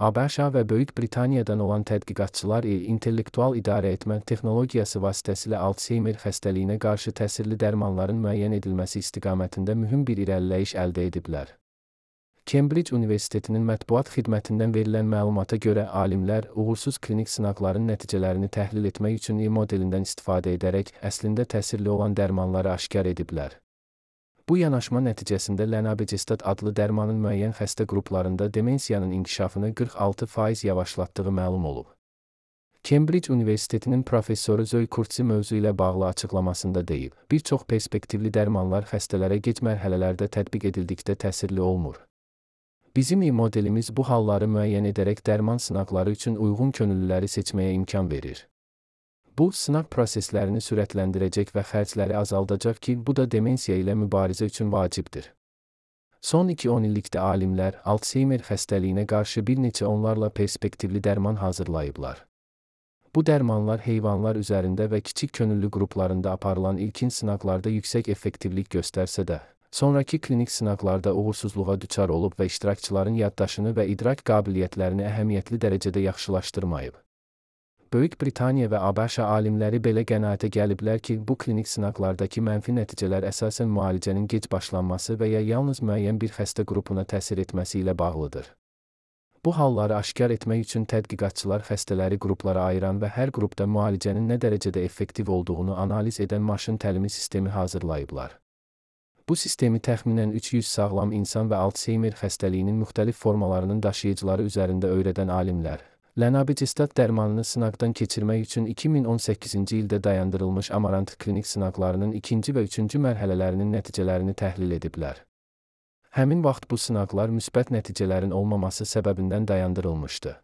ABŞ və Böyük Britaniyadan olan tədqiqatçılar intellektual idarəetmə texnologiyası vasitəsilə Alzheimer xəstəliyinə qarşı təsirli dərmanların müəyyən edilməsi istiqamətində mühüm bir irəliləyiş əldə ediblər. Cambridge Universitetinin mətbuat xidmətindən verilən məlumata görə alimlər uğursuz klinik sınaqların nəticələrini təhlil etmək üçün modelindən istifadə edərək əslində təsirli olan dərmanları aşkar ediblər. Bu yanaşma nəticəsində Lenabigestat adlı dərmanın müəyyən xəstə qruplarında demensiyanın inkişafını 46% yavaşlatdığı məlum olub. Cambridge Universitetinin professoru Zoe Kurtzi mövzu ilə bağlı açıqlamasında deyib, bir çox perspektivli dərmanlar xəstələrə gec mərhələlərdə tətbiq edildikdə təsirli olmur. Bizim modelimiz bu halları müəyyən edərək dərman sınaqları üçün uyğun könüllüləri seçməyə imkan verir. Bu, sınaq proseslərini sürətləndirəcək və xərcləri azaldacaq ki, bu da demensiya ilə mübarizə üçün vacibdir. Son 2-10 illikdə alimlər Alzheimer xəstəliyinə qarşı bir neçə onlarla perspektivli dərman hazırlayıblar. Bu dərmanlar heyvanlar üzərində və kiçik könüllü qruplarında aparılan ilkin sınaqlarda yüksək effektivlik göstərsə də, sonrakı klinik sınaqlarda uğursuzluğa düçar olub və iştirakçıların yaddaşını və idrak qabiliyyətlərini əhəmiyyətli dərəcədə yaxşılaşdırmayıb. Böyük Britaniya və ABŞ alimləri belə qənaətə gəliblər ki, bu klinik sınaqlardakı mənfi nəticələr əsasən müalicənin gec başlanması və ya yalnız müəyyən bir xəstə qrupuna təsir etməsi ilə bağlıdır. Bu halları aşkar etmək üçün tədqiqatçılar xəstələri qruplara ayıran və hər qrupda müalicənin nə dərəcədə effektiv olduğunu analiz edən maşın təlimi sistemi hazırlayıblar. Bu sistemi təxminən 300 sağlam insan və Alzheimer xəstəliyinin müxtəlif formalarının daşıyıcıları üzərində öyrədən alimlər Lenabigestat dərmanını sınaqdan keçirmək üçün 2018-ci ildə dayandırılmış Amarant klinik sınaqlarının 2-ci və 3-cü mərhələlərinin nəticələrini təhlil ediblər. Həmin vaxt bu sınaqlar müsbət nəticələrin olmaması səbəbindən dayandırılmışdı.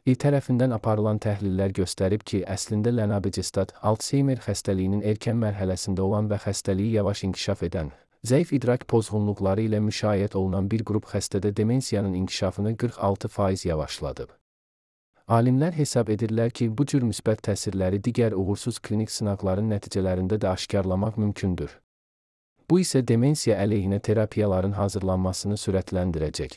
Tərəfindən aparılan təhlillər göstərib ki, əslində Lenabigestat Alzheimer xəstəliyinin erkən mərhələsində olan və xəstəliyi yavaş inkişaf edən, zəif idrak pozğunluqları ilə müşayiət olunan bir qrup xəstədə demensiyanın inkişafını 46% yavaşladıb. Alimlər hesab edirlər ki, bu cür müsbət təsirləri digər uğursuz klinik sınaqların nəticələrində də aşkarlamaq mümkündür. Bu isə demensiya əleyhinə terapiyaların hazırlanmasını sürətləndirəcək.